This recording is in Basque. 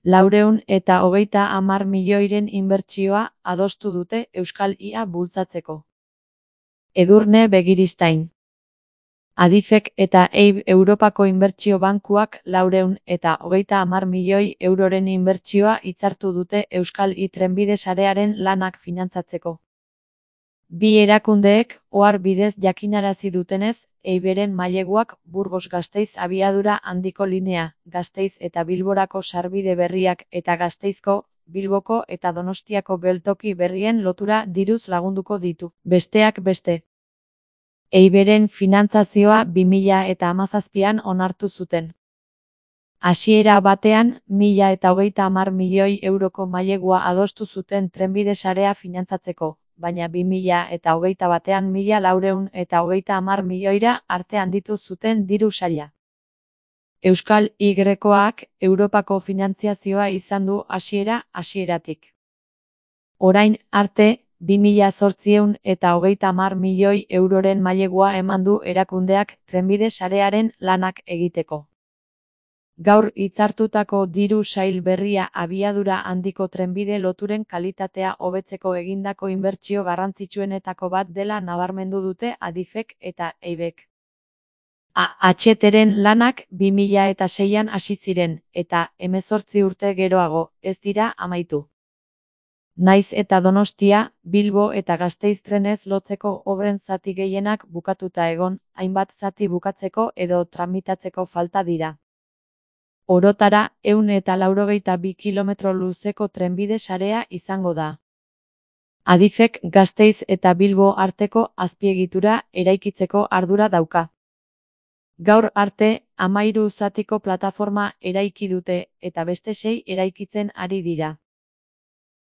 430 milioiren inbertsioa adostu dute Euskal IA bultzatzeko. Edurne Begiristain. Adifek eta EIB Europako Inbertsio Bankuak 430 milioi euroren inbertsioa hitzartu dute Euskal I trenbide sarearen lanak finantzatzeko. Bi erakundeek ohar bidez jakinarazi dutenez, EIBren maileguak Burgos-Gasteiz abiadura handiko linea, Gasteiz eta Bilborako sarbide berriak eta Gasteizko, Bilboko eta Donostiako geltoki berrien lotura diruz lagunduko ditu. Besteak beste, EIBren finantzazioa 2017an onartu zuten. Hasiera batean, 1030 milioi euroko mailegua adostu zuten trenbide sarea finantzatzeko, baina 2021an 1430 milioira arte handitu zuten diru saila. Euskal Y-ak Europako finantziazioa izan du hasieratik. Orain arte, 2830 milioi euroren mailegua eman du erakundeak trenbide sarearen lanak egiteko. Gaur hitzartutako diru sail berria abiadura handiko trenbide loturen kalitatea hobetzeko egindako inbertsio garrantzitsuenetako bat dela nabarmendu dute Adifek eta EIBek. AHTren lanak 2006an hasi ziren, eta 18 urte geroago, ez dira amaitu. Naiz eta Donostia, Bilbo eta Gasteiz trenez lotzeko obren zati gehienak bukatuta egon, hainbat zati bukatzeko edo tramitatzeko falta dira. Orotara, 182 kilometro luzeko trenbide sarea izango da. Adifek Gasteiz eta Bilbo arteko azpiegitura eraikitzeko ardura dauka. Gaur arte, 13 zatiko plataforma eraiki dute, eta beste 6 eraikitzen ari dira.